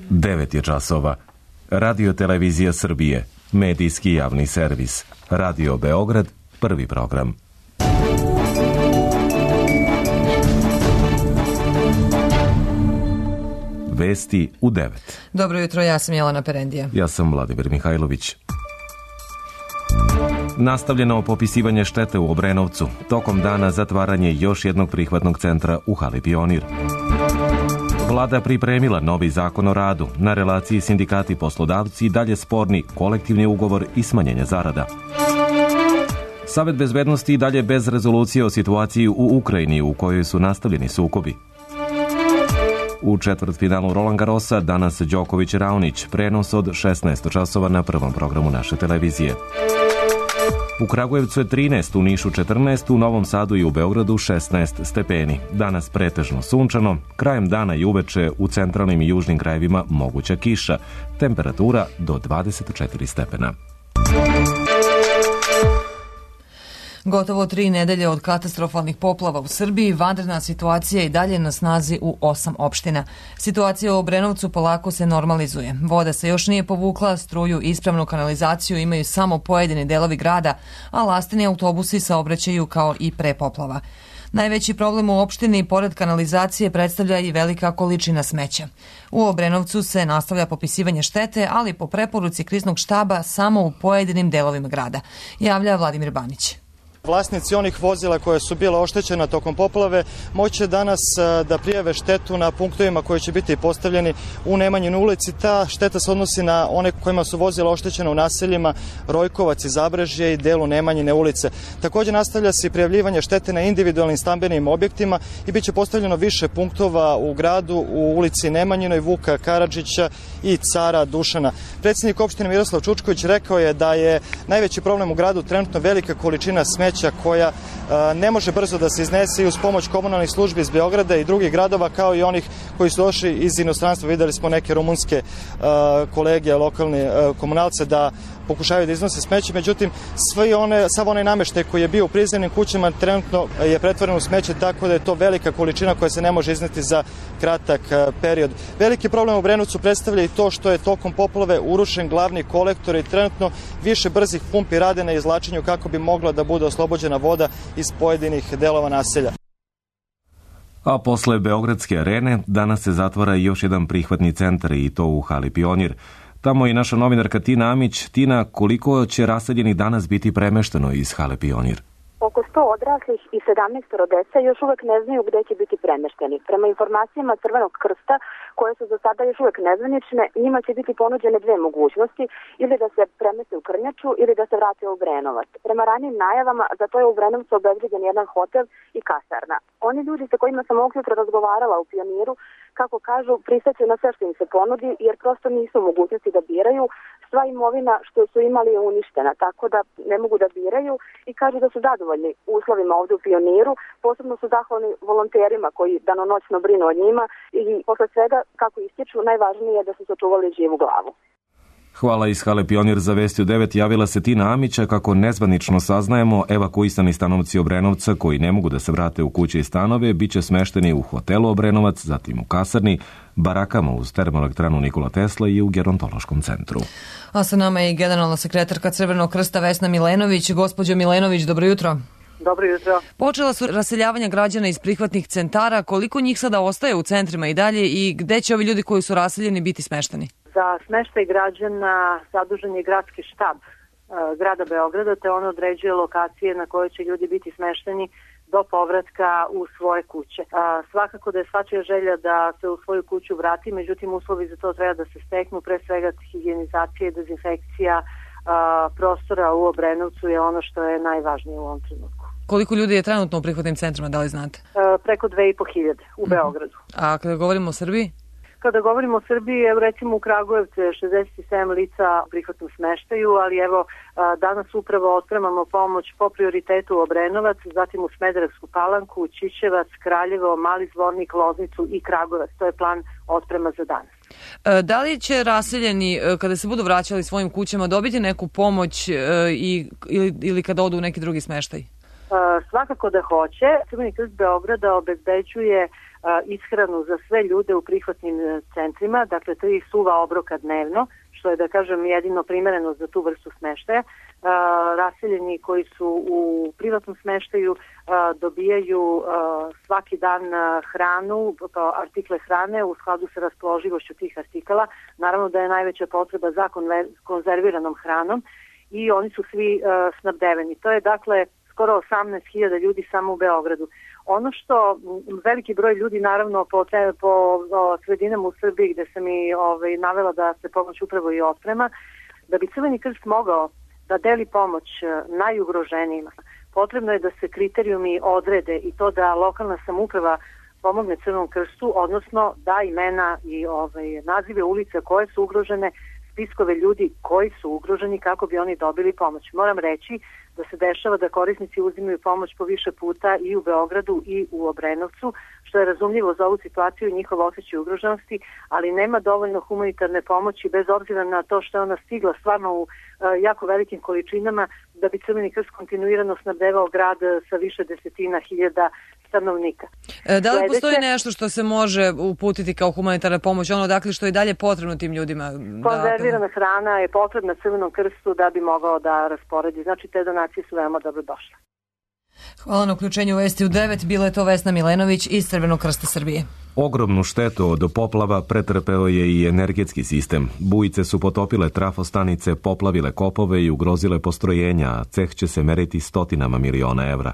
9 je časova. Radio Televizija Srbije, medijski javni servis. Radio Beograd, prvi program. Vesti u 9. Dobro jutro, ja sam Jelena Perendija. Ja sam Vladimir Mihajlović. Nastavljeno popisivanje štete u Obrenovcu. Tokom dana zatvaranje još jednog prihvatnog centra u hali Pionir. Vlada pripremila novi zakon o radu. Na relaciji sindikati poslodavci dalje sporni kolektivni ugovor i smanjenje zarada. Savet bezbednosti dalje bez rezolucije o situaciji u Ukrajini u kojoj su nastavljeni sukobi. U četvrtfinalu Roland Garrosa danas Đoković-Raonić, prenos od 16 časova na prvom programu naše televizije. U Kragujevcu je 13, u Nišu 14, u Novom Sadu i u Beogradu 16 stepeni. Danas pretežno sunčano, krajem dana i uveče u centralnim i južnim krajevima moguća kiša. Temperatura do 24 stepena. Gotovo 3 nedelje od katastrofalnih poplava u Srbiji, vanredna situacija i dalje na snazi u 8 opština. Situacija u Obrenovcu polako se normalizuje. Voda se još nije povukla, struju i ispravnu kanalizaciju imaju samo pojedini delovi grada, a lasteni autobusi saobraćaju kao i pre poplava. Najveći problem u opštini, pored kanalizacije, predstavlja i velika količina smeća. U Obrenovcu se nastavlja popisivanje štete, ali po preporuci kriznog štaba samo u pojedinim delovima grada, javlja Vladimir Banić. Vlasnici onih vozila koje su bila oštećena tokom poplave moće danas da prijave štetu na punktovima koji će biti postavljeni u Nemanjinoj ulici. Ta šteta se odnosi na one kojima su vozila oštećena u naseljima Rojkovac i Zabrežje i delu Nemanjine ulice. Također nastavlja se i prijavljivanje štete na individualnim stambenim objektima i bit će postavljeno više punktova u gradu u ulici Nemanjinoj, Vuka Karadžića i Cara Dušana. Predsjednik opštine Miroslav Čučković rekao je da je najveći problem u gradu trenutno velika količina smeća koja ne može brzo da se iznese i uz pomoć komunalnih službi iz Beograda i drugih gradova, kao i onih koji su došli iz inostranstva. Videli smo neke rumunske kolege, lokalne komunalce da pokušavaju da iznose smeće, međutim sav onaj nameštaj koji je bio u prizemnim kućama trenutno je pretvoren u smeće, tako da je to velika količina koja se ne može izneti za kratak period. Veliki problem u Obrenovcu predstavlja i to što je tokom poplave urušen glavni kolektor i trenutno više brzih pumpi rade na izvlačenju kako bi mogla da bude oslobođena voda iz pojedinih delova naselja. A posle Beogradske arene danas se zatvara još jedan prihvatni centar i to u hali Pionir. Tamo je naša novinarka Tina Amić. Tina, koliko će raseljenih danas biti premešteno iz hale Pionir? Oko 100 odraslih i 17 dece još uvek ne znaju gde će biti premešteni. Prema informacijama Crvenog krsta, koje su za sada još uvek nezvanične, njima će biti ponuđene dve mogućnosti, ili da se premeste u Krnjaču ili da se vrate u Obrenovac. Prema ranijim najavama, za to je u Obrenovcu obezbeđen jedan hotel i kasarna. Oni ljudi sa kojima sam ovog jutra razgovarala u Pioniru, kako kažu, pristaće na sve što im se ponudi, jer prosto nisu u mogućnosti da biraju. Sva imovina što su imali je uništena, tako da ne mogu da biraju i kažu da su zadovoljni uslovima ovde u Pioniru. Posebno su zahvalni volonterima koji danonoćno brinu o njima i posle svega, kako ističu, najvažnije je da su sačuvali živu glavu. Hvala. Iz hale Pionir za Vesti u 9 javila se Tina Amića. Kako nezvanično saznajemo, evakuisani stanovnici Obrenovca koji ne mogu da se vrate u kuće i stanove biće smešteni u hotelu Obrenovac, zatim u kasarni, barakama uz termoelektranu Nikola Tesla i u gerontološkom centru. A sa nama je i generalna sekretarka Crvenog krsta Vesna Milenović. Gospođo Milenović, dobro jutro. Dobro jutro. Počela su raseljavanja građana iz prihvatnih centara. Koliko njih sada ostaje u centrima i dalje i gde će ovi ljudi koji su raseljeni biti smešteni? Za smeštaj građana zadužen je gradski štab grada Beograda, te on određuje lokacije na koje će ljudi biti smešteni do povratka u svoje kuće. Svakako da je svačija želja da se u svoju kuću vrati, međutim uslovi za to treba da se steknu, pre svega higijenizacija i dezinfekcija prostora u Obrenovcu je ono što je najvažnije u ovom trenutku. Koliko ljudi je trenutno u prihvatnim centrima, da li znate? Preko 2.500 u Beogradu. A kada govorimo o Srbiji? Kada govorimo o Srbiji, evo recimo u Kragujevcu je 67 lica u prihvatnom smeštaju, ali evo danas upravo otpremamo pomoć po prioritetu u Obrenovac, zatim u Smederevsku Palanku, Ćićevac, Kraljevo, Mali Zvornik, Loznicu i Kragujevac. To je plan otprema za danas. Da li će raseljeni, kada se budu vraćali svojim kućama, dobiti neku pomoć ili kada odu u neki drugi smeštaj? Svakako da hoće. Crveni krst Beograda obezbeđuje ishranu za sve ljude u prihvatnim centrima, dakle 3 suva obroka dnevno, što je, da kažem, jedino primereno za tu vrstu smeštaja. Raseljeni koji su u privatnom smeštaju dobijaju svaki dan hranu, artikle hrane u skladu sa raspoloživošću tih artikala. Naravno da je najveća potreba za konzerviranom hranom i oni su svi snabdeveni. To je dakle skoro 18.000 ljudi samo u Beogradu. Ono što veliki broj ljudi, naravno po sredinama u Srbiji gde sam i navela da se pomoć upravo i otprema, da bi Crveni krst mogao da deli pomoć najugroženijima, potrebno je da se kriterijumi odrede i to da lokalna samouprava pomogne Crvenom krstu, odnosno da imena i nazive ulica koje su ugrožene, spiskove ljudi koji su ugroženi kako bi oni dobili pomoć. Moram reći da se dešava da korisnici uzimaju pomoć po više puta i u Beogradu i u Obrenovcu, što je razumljivo za ovu situaciju i njihov osjećaj ugroženosti, ali nema dovoljno humanitarne pomoći bez obzira na to što je ona stigla stvarno u jako velikim količinama da bi Crveni krst kontinuirano snabdevao grad sa više desetina hiljada stanovnika. Da li postoji nešto što se može uputiti kao humanitarna pomoć, dakle što je dalje potrebno tim ljudima? Konzervirana hrana je potrebna Crvenom krstu da bi mogao da rasporedi. Znači te donacije su veoma dobro došle. Hvala na uključenju u Vesti u 9. Bila je to Vesna Milenović iz Crvenog krsta Srbije. Ogromnu štetu od poplava pretrpeo je i energetski sistem. Bujice su potopile trafostanice, poplavile kopove i ugrozile postrojenja, a ceh će se meriti stotinama miliona evra.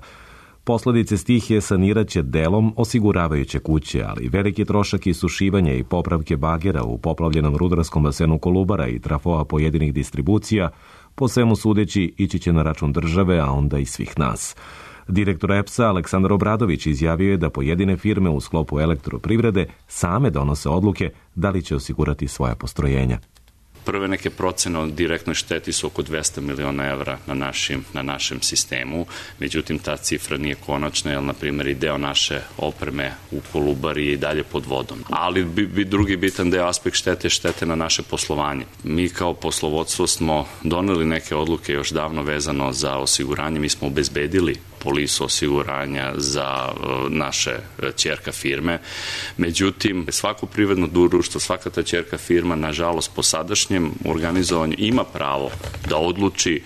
Posledice stihije saniraće delom osiguravajuće kuće, ali veliki trošak isušivanja i popravke bagera u poplavljenom rudarskom basenu Kolubara i trafoa pojedinih distribucija, po svemu sudeći, ići će na račun države, a onda i svih nas. Direktor EPS-a Aleksandar Obradović izjavio je da pojedine firme u sklopu elektroprivrede same donose odluke da li će osigurati svoja postrojenja. Prve neke procene o direktnoj šteti su oko 200 miliona evra na našem sistemu, međutim ta cifra nije konačna, jer na primjer i deo naše opreme u Kolubari je i dalje pod vodom. Ali drugi bitan deo aspekt štete na naše poslovanje. Mi kao poslovodstvo smo doneli neke odluke još davno vezano za osiguranje, mi smo obezbedili polisu osiguranja za naše ćerka firme. Međutim, svako privredno društvo, svaka ta ćerka firma, nažalost, po sadašnjem organizovanju ima pravo da odluči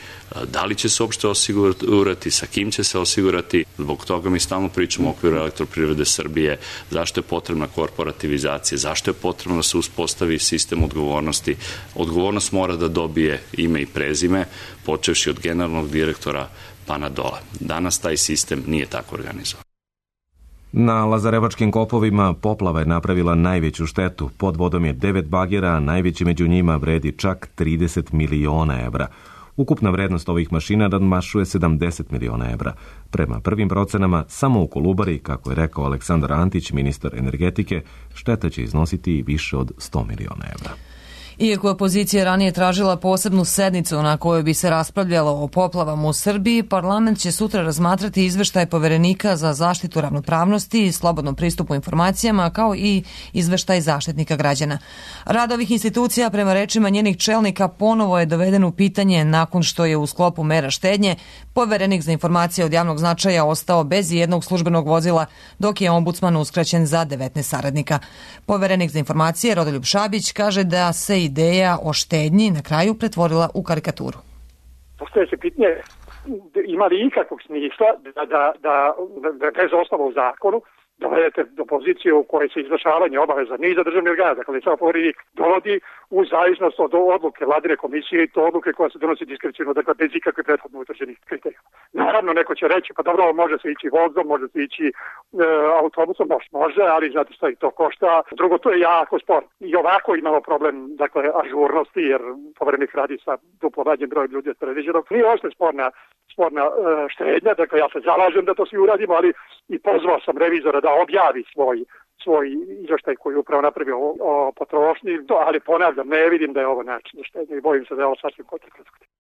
da li će se uopšte osigurati, sa kim će se osigurati. Zbog toga mi stalno pričamo u okviru Elektroprivrede Srbije zašto je potrebna korporativizacija, zašto je potrebno da se uspostavi sistem odgovornosti. Odgovornost mora da dobije ime i prezime, počevši od generalnog direktora pa na dole. Danas taj sistem nije tako organizovan. Na Lazarevačkim kopovima poplava je napravila najveću štetu. Pod vodom je 9 bagera, a najveći među njima vredi čak 30 miliona evra. Ukupna vrednost ovih mašina nadmašuje 70 miliona evra. Prema prvim procenama, samo u Kolubari, kako je rekao Aleksandar Antić, ministar energetike, šteta će iznositi i više od 100 miliona evra. Iako je opozicija ranije tražila posebnu sednicu na kojoj bi se raspravljalo o poplavama u Srbiji, parlament će sutra razmatrati izveštaj Poverenika za zaštitu ravnopravnosti i slobodnom pristupu informacijama, kao i izveštaj Zaštitnika građana. Rad ovih institucija, prema rečima njenih čelnika, ponovo je doveden u pitanje nakon što je u sklopu mera štednje Poverenik za informacije od javnog značaja ostao bez jednog službenog vozila, dok je ombudsman uskraćen za 19 saradnika. Poverenik za informacije Rodoljub Šabić kaže da se ideja o štednji na kraju pretvorila u karikaturu. Postoje se pitanje, ima li ikakvog smisla da bez osnova u zakonu dovedete do pozicije u kojoj se izvršavanje obaveza niza državnih organa, dakle samo Poverenik dovodi u zavisnost od odluke vladine komisije i to odluke koja se donosi diskreciono, dakle bez ikakve prethodno utvrđenih kriterija. Naravno, neko će reći, pa dobro, može se ići vozom, može se ići autobusom, može, ali znate što i to košta. Drugo, to je jako sporno. I ovako imamo problem, dakle, ažurnosti, jer Poverenik radi sa duplo manjim brojem ljudi od predviđenog. Nije ošte sporna štednja, dakle ja se zalažem da to svi uradimo, ali i pozvao sam revizora da objavi svoj izveštaj koji je upravo napravio o potrošnji, ali ponavljam, ne vidim da je ovo način štednje i bojim se da je ovo sasvim kontraproduktivno.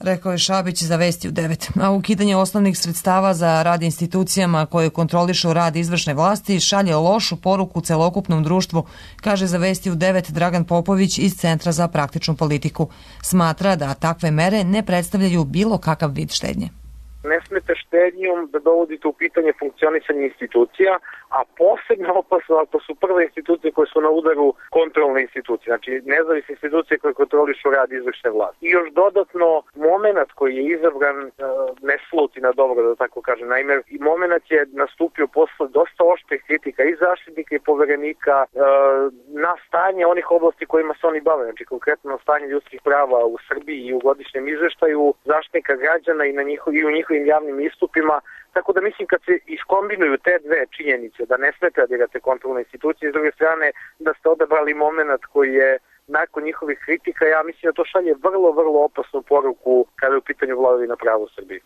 Rekao je Šabić za Vesti u 9. A ukidanje osnovnih sredstava za rad institucijama koje kontrolišu rad izvršne vlasti šalje lošu poruku celokupnom društvu, kaže za Vesti u 9 Dragan Popović iz Centra za praktičnu politiku. Smatra da takve mere ne predstavljaju bilo kakav vid štednje. ne smete štednjom da dovodite u pitanje funkcionisanje institucija, a posebno opasno ako su prve institucije koje su na udaru kontrolne institucije, znači nezavisne institucije koje kontrolišu rad izvršne vlasti. I još dodatno moment koji je izabran ne sluti na dobro, da tako kažem. Naime, i moment je nastupio posle dosta oštrih kritika i zaštitnika i poverenika na stanje onih oblasti kojima se oni bave, znači konkretno na stanje ljudskih prava u Srbiji i u godišnjem izveštaju zaštitnika građana i u njihovim javnim istupima. Tako da mislim kad se iskombinuju te dve činjenice, da ne smete da dirate kontrolne institucije, s druge strane da ste odabrali moment koji je nakon njihovih kritika, ja mislim da to šalje vrlo, vrlo opasnu poruku kada je u pitanju vladavina prava u Srbiji.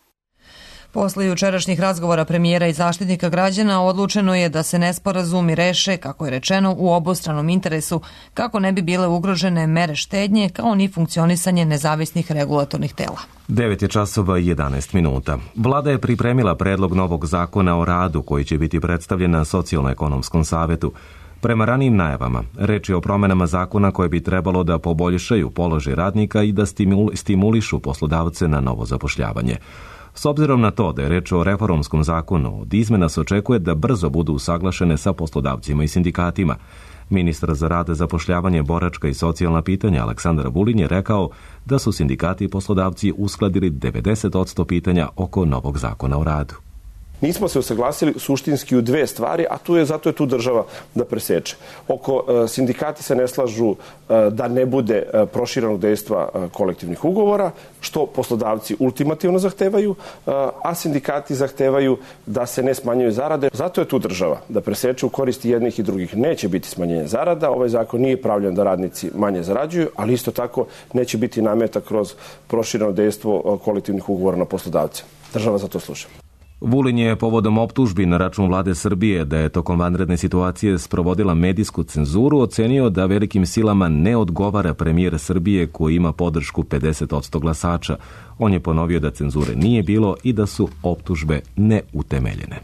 Posle jučerašnjih razgovora premijera i zaštitnika građana odlučeno je da se nesporazumi reše, kako je rečeno, u obostranom interesu, kako ne bi bile ugrožene mere štednje, kao ni funkcionisanje nezavisnih regulatornih tela. 9:11. Vlada je pripremila predlog novog zakona o radu koji će biti predstavljen na Socijalno-ekonomskom savetu. Prema ranijim najavama, reč je o promenama zakona koje bi trebalo da poboljšaju položaj radnika i da stimulišu poslodavce na novo zapošljavanje. S obzirom na to da je reč o reformskom zakonu, od izmena se očekuje da brzo budu usaglašene sa poslodavcima i sindikatima. Ministar za rad, zapošljavanje, boračka i socijalna pitanja Aleksandar Vulin je rekao da su sindikati i poslodavci uskladili 90% pitanja oko novog zakona o radu. Nismo se usaglasili suštinski u dve stvari, a zato je tu država da preseče. Sindikati se ne slažu da ne bude proširenog dejstva kolektivnih ugovora, što poslodavci ultimativno zahtevaju, a sindikati zahtevaju da se ne smanjuju zarade. Zato je tu država da preseče u korist jednih i drugih. Neće biti smanjenje zarada, ovaj zakon nije pravljen da radnici manje zarađuju, ali isto tako neće biti nameta kroz prošireno dejstvo kolektivnih ugovora na poslodavce. Država za to sluša. Vulin je povodom optužbi na račun vlade Srbije da je tokom vanredne situacije sprovodila medijsku cenzuru ocenio da velikim silama ne odgovara premijer Srbije koji ima podršku 50% glasača. On je ponovio da cenzure nije bilo i da su optužbe neutemeljene.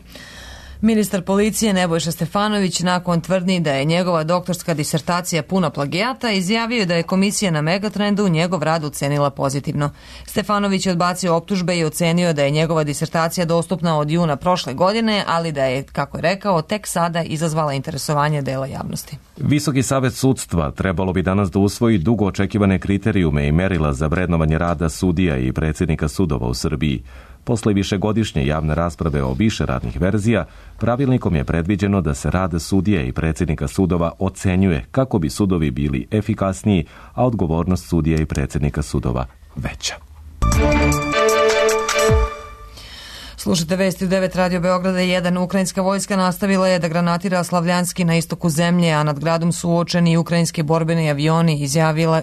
Ministar policije Nebojša Stefanović nakon tvrdnji da je njegova doktorska disertacija puna plagijata izjavio da je komisija na Megatrendu njegov rad ocenila pozitivno. Stefanović je odbacio optužbe i ocenio da je njegova disertacija dostupna od juna prošle godine, ali da je, kako je rekao, tek sada izazvala interesovanje dela javnosti. Visoki savet sudstva trebalo bi danas da usvoji dugo očekivane kriterijume i merila za vrednovanje rada sudija i predsjednika sudova u Srbiji. Posle višegodišnje javne rasprave o više radnih verzija, pravilnikom je predviđeno da se rad sudija i predsjednika sudova ocenjuje kako bi sudovi bili efikasniji, a odgovornost sudija i predsjednika sudova veća. Slušajte vesti u 9 Radio Beograda 1. Ukrajinska vojska nastavila je da granatira Slavljanski na istoku zemlje, a nad gradom su uočeni ukrajinski borbeni avioni,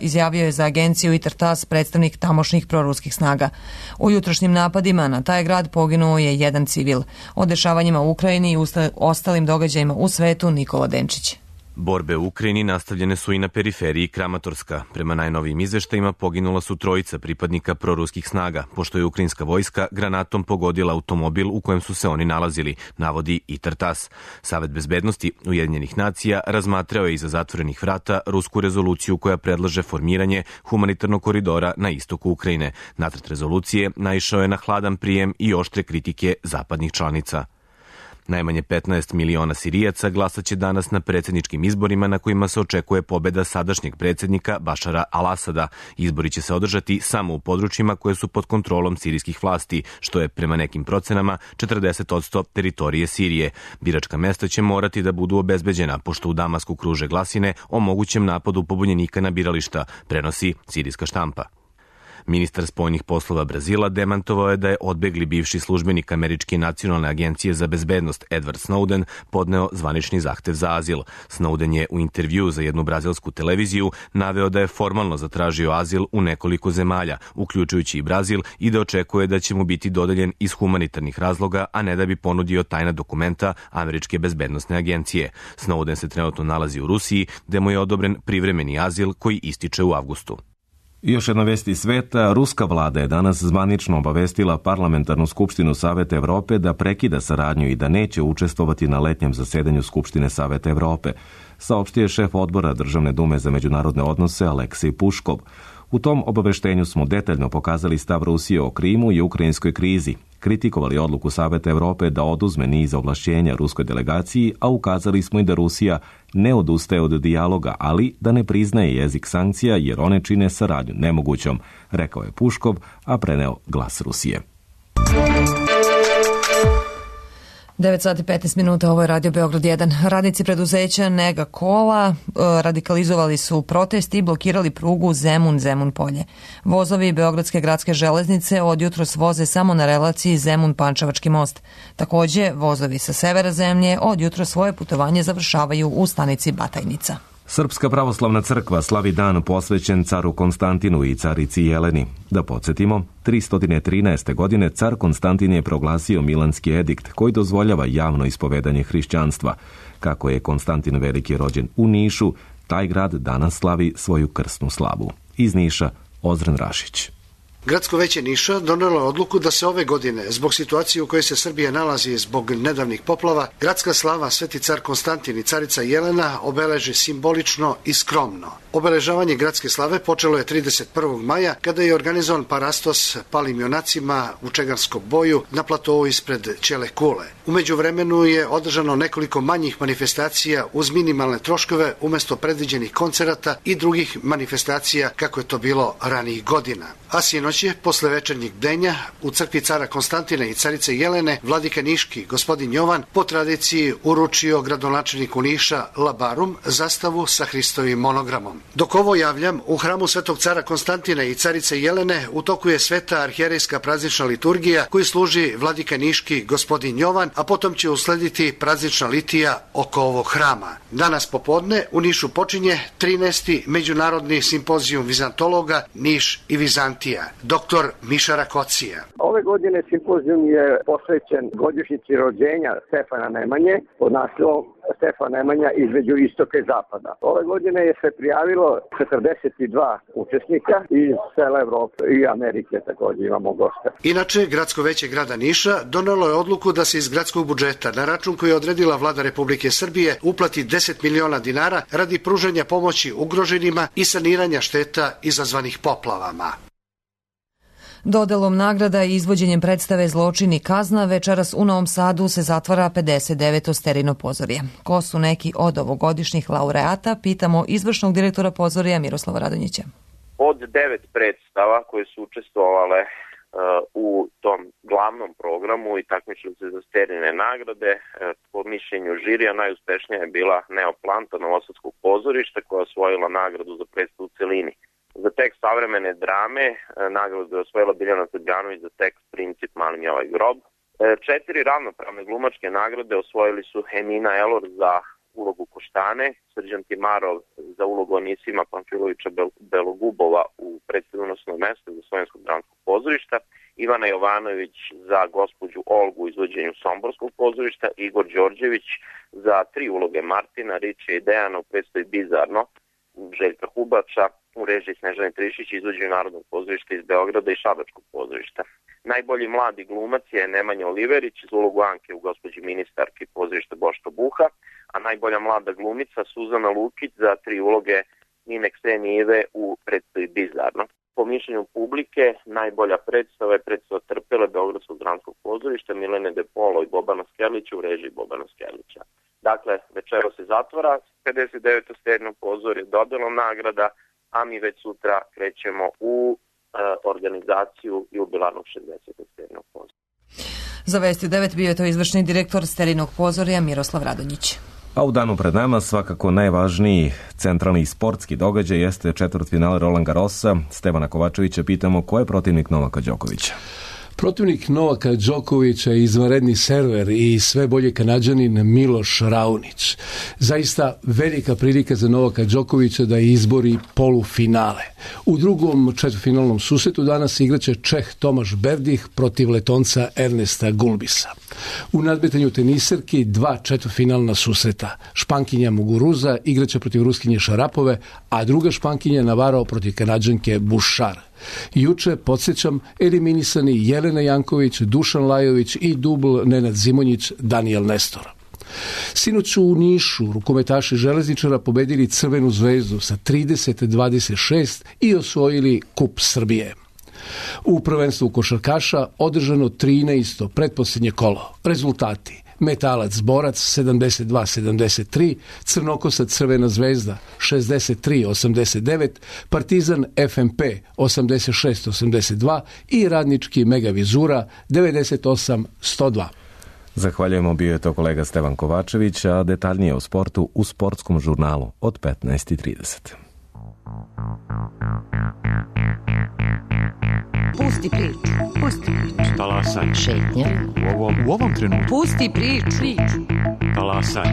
izjavio je za agenciju ITAR-TASS predstavnik tamošnjih proruskih snaga. U jutrošnjim napadima na taj grad poginuo je jedan civil. O dešavanjima u Ukrajini i ostalim događajima u svetu Nikola Denčić. Borbe u Ukrajini nastavljene su i na periferiji Kramatorska. Prema najnovijim izveštajima poginula su trojica pripadnika proruskih snaga, pošto je ukrajinska vojska granatom pogodila automobil u kojem su se oni nalazili, navodi ITAR-TASS. Savet bezbednosti Ujedinjenih nacija razmatrao je iza zatvorenih vrata rusku rezoluciju koja predlaže formiranje humanitarnog koridora na istoku Ukrajine. Nacrt rezolucije naišao je na hladan prijem i oštre kritike zapadnih članica. Najmanje 15 miliona Sirijaca glasaće danas na predsjedničkim izborima na kojima se očekuje pobeda sadašnjeg predsjednika Bašara al-Asada. Izbori će se održati samo u područjima koje su pod kontrolom sirijskih vlasti, što je prema nekim procenama 40% teritorije Sirije. Biračka mesta će morati da budu obezbeđena, pošto u Damasku kruže glasine o mogućem napadu pobunjenika na birališta, prenosi sirijska štampa. Ministar spoljnih poslova Brazila demantovao je da je odbegli bivši službenik Američke nacionalne agencije za bezbednost Edward Snowden podneo zvanični zahtev za azil. Snowden je u intervju za jednu brazilsku televiziju naveo da je formalno zatražio azil u nekoliko zemalja, uključujući i Brazil, i da očekuje da će mu biti dodeljen iz humanitarnih razloga, a ne da bi ponudio tajna dokumenta Američke bezbednosne agencije. Snowden se trenutno nalazi u Rusiji, gde mu je odobren privremeni azil koji ističe u avgustu. Još jedna vest iz sveta, ruska vlada je danas zvanično obavestila Parlamentarnu skupštinu Saveta Evrope da prekida saradnju i da neće učestvovati na letnjem zasedanju Skupštine Saveta Evrope, saopštio je šef odbora Državne dume za međunarodne odnose Aleksej Puškov. U tom obaveštenju smo detaljno pokazali stav Rusije o Krimu i ukrajinskoj krizi, kritikovali odluku Saveta Evrope da oduzme niz ovlašćenja ruskoj delegaciji, a ukazali smo i da Rusija ne odustaje od dijaloga, ali da ne priznaje jezik sankcija jer one čine saradnju nemogućom, rekao je Puškov, a preneo Glas Rusije. 9 sati 15 minuta, ovo je Radio Beograd 1. Radnici preduzeća Nega Kola radikalizovali su protest i blokirali prugu Zemun-Zemun polje. Vozovi Beogradske gradske železnice od jutros voze samo na relaciji Zemun-Pančevački most. Takođe, vozovi sa severa zemlje od jutros svoje putovanje završavaju u stanici Batajnica. Srpska pravoslavna crkva slavi dan posvećen caru Konstantinu i carici Jeleni. Da podsjetimo, 313. godine car Konstantin je proglasio Milanski edikt koji dozvoljava javno ispovedanje hrišćanstva. Kako je Konstantin Veliki rođen u Nišu, taj grad danas slavi svoju krsnu slavu. Iz Niša, Ozren Rašić. Gradsko veće Niša donelo je odluku da se ove godine, zbog situacije u kojoj se Srbija nalazi zbog nedavnih poplava, gradska slava Sveti car Konstantin i carica Jelena obeleže simbolično i skromno. Obeležavanje gradske slave počelo je 31. maja kada je organizovan parastos palim junacima u Čegarskom boju na platovu ispred Ćele kule. U međuvremenu je održano nekoliko manjih manifestacija uz minimalne troškove umesto predviđenih koncerata i drugih manifestacija kako je to bilo ranijih godina. A sinoć je, posle večernjeg bdenja, u crkvi cara Konstantina i carice Jelene, vladika Niški, gospodin Jovan, po tradiciji uručio gradonačelniku Niša Labarum zastavu sa Hristovim monogramom. Dok ovo javljam, u hramu Svetog cara Konstantina i carice Jelene u toku je sveta arhijerejska praznična liturgija koju služi vladika Niški, gospodin Jovan, a potom će uslediti praznična litija oko ovog hrama. Danas popodne u Nišu počinje 13. međunarodni simpozijum vizantologa Niš i Vizantija. Dr. Miša Rakocija. Ove godine simpozijum je posvećen godišnjici rođenja Stefana Nemanje pod naslovom Stefan Nemanja između istoka i zapada. Ove godine je se prijavilo 42 učesnika iz cele Evrope i Amerike, također imamo goste. Inače, Gradsko veće grada Niša donelo je odluku da se iz gradskog budžeta na račun koji je odredila Vlada Republike Srbije uplati 10 miliona dinara radi pružanja pomoći ugroženima i saniranja šteta izazvanih poplavama. Dodelom nagrada i izvođenjem predstave Zločin i kazna večeras u Novom Sadu se zatvara 59. Sterino pozorje. Ko su neki od ovogodišnjih laureata, pitamo izvršnog direktora pozorja Miroslava Radonjića. Od 9 predstava koje su učestvovale u tom glavnom programu i takmičili se za Sterine nagrade, po mišljenju žirija najuspešnija je bila Neoplanta Novosadskog pozorišta koja je osvojila nagradu za predstavu u celini. Za tekst savremene drame nagradu je osvojila Biljana Srbljanović za tekst Princip Mali mi ovaj grob. 4 ravnopravne glumačke nagrade osvojili su Emina Elor za ulogu Koštane, Srđan Timarov za ulogu Onisima Pamfilovića Belogubova u predstavi Unosno mesto za Slovenskog dramskog pozorišta, Ivana Jovanović za gospođu Olgu u izvođenju Somborskog pozorišta, Igor Đorđević za 3 uloge Martina, Riče i Dejana u predstavi Bizarno, Željka Hubača u režiji Snežane Trišić izvođenju Narodnog pozorišta iz Beograda i Šabačkog pozorišta. Najbolji mladi glumac je Nemanja Oliverić za ulogu Anke u gospođi ministarki pozorišta Boška Buha, a najbolja mlada glumica Suzana Lukić za 3 uloge Nine Ksenive u predstavi Bizarno. Po mišljenju publike, najbolja predstava je predstava Trpele Beogradskog dramskog pozorišta Milene De Polo i Bobana Skerlića u režiji Bobana Skerlića. Dakle, večero se zatvara 59. Sterino pozorje dodelom nagrada, a mi već sutra krećemo u organizaciju jubilarnog 60. Sterinog pozorja. Za Vesti u 9 bio je to izvršni direktor Sterinog pozorja Miroslav Radonjić. A u danu pred nama svakako najvažniji centralni sportski događaj jeste četvrtfinale Roland Garrosa. Stevana Kovačevića pitamo ko je protivnik Novaka Đokovića. Protivnik Novaka Đokovića je izvanredni server i sve bolje Kanađanin Miloš Raonić. Zaista velika prilika za Novaka Đokovića da izbori polufinale. U drugom četvrtfinalnom susretu danas igraće Čeh Tomaš Berdih protiv Letonca Ernesta Gulbisa. U nadmetanju teniserki 2 četvrtfinalna susreta. Špankinja Muguruza igraće protiv Ruskinje Šarapove, a druga Špankinja Navarro protiv Kanađanke Bouchard. Juče, podsjećam, eliminisani Jelena Janković, Dušan Lajović i dubl Nenad Zimonjić, Daniel Nestor. Sinoć u Nišu rukometaši železničara pobedili Crvenu zvezdu sa 30-26 i osvojili Kup Srbije. U prvenstvu košarkaša održano 13. pretposljednje kolo. Rezultati: Metalac Borac 72-73, Crnokosac Crvena zvezda 63-89, Partizan FMP 86-82 i Radnički Megavizura 98-102. Zahvaljujemo, bio je to kolega Stevan Kovačević, a detaljnije o sportu u Sportskom žurnalu od 15:30. Pusti priču, pusti priču. Talasaj. Šetnja. U ovom trenutku. Pusti priču. Talasaj.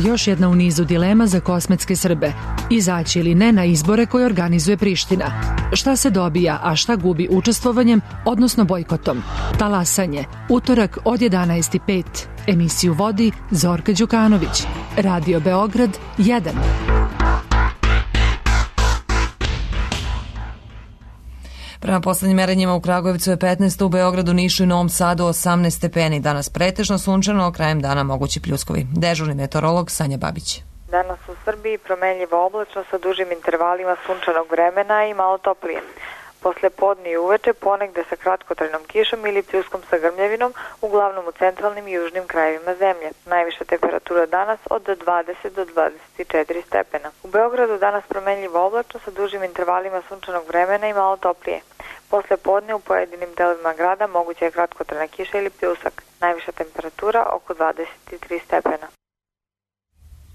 Još jedna u nizu dilema za kosmetske Srbe. Izaći ili ne na izbore koje organizuje Priština. Šta se dobija, a šta gubi učestvovanjem, odnosno bojkotom? Talasanje. Utorak od 11:05. Emisiju vodi Zorka Đukanović. Radio Beograd 1. Prema poslednjim merenjima u Kragujevcu je 15, u Beogradu, Nišu i Novom Sadu 18 stepeni. Danas pretežno sunčano, krajem dana mogući pljuskovi. Dežurni meteorolog Sanja Babić. Danas u Srbiji promenljivo oblačno sa dužim intervalima sunčanog vremena i malo toplije. Posle podne i uveče ponegde sa kratkotrajnom kišom ili pljuskom sa grmljavinom, uglavnom u centralnim i južnim krajevima zemlje. Najviša temperatura danas od 20 do 24 stepena. U Beogradu danas promenljivo oblačno sa dužim intervalima sunčanog vremena i malo toplije. Posle podne u pojedinim delovima grada moguća je kratkotrajna kiša ili pljusak. Najviša temperatura oko 23 stepena.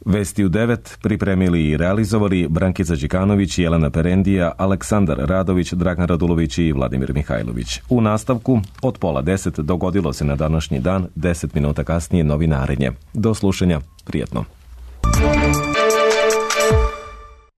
Vesti u 9 pripremili i realizovali Brankica Đikanović, Jelena Perendija, Aleksandar Radović, Dragan Radulović i Vladimir Mihajlović. U nastavku od 9:30 dogodilo se na današnji dan, 10 minuta kasnije novinarenje. Do slušanja, prijetno.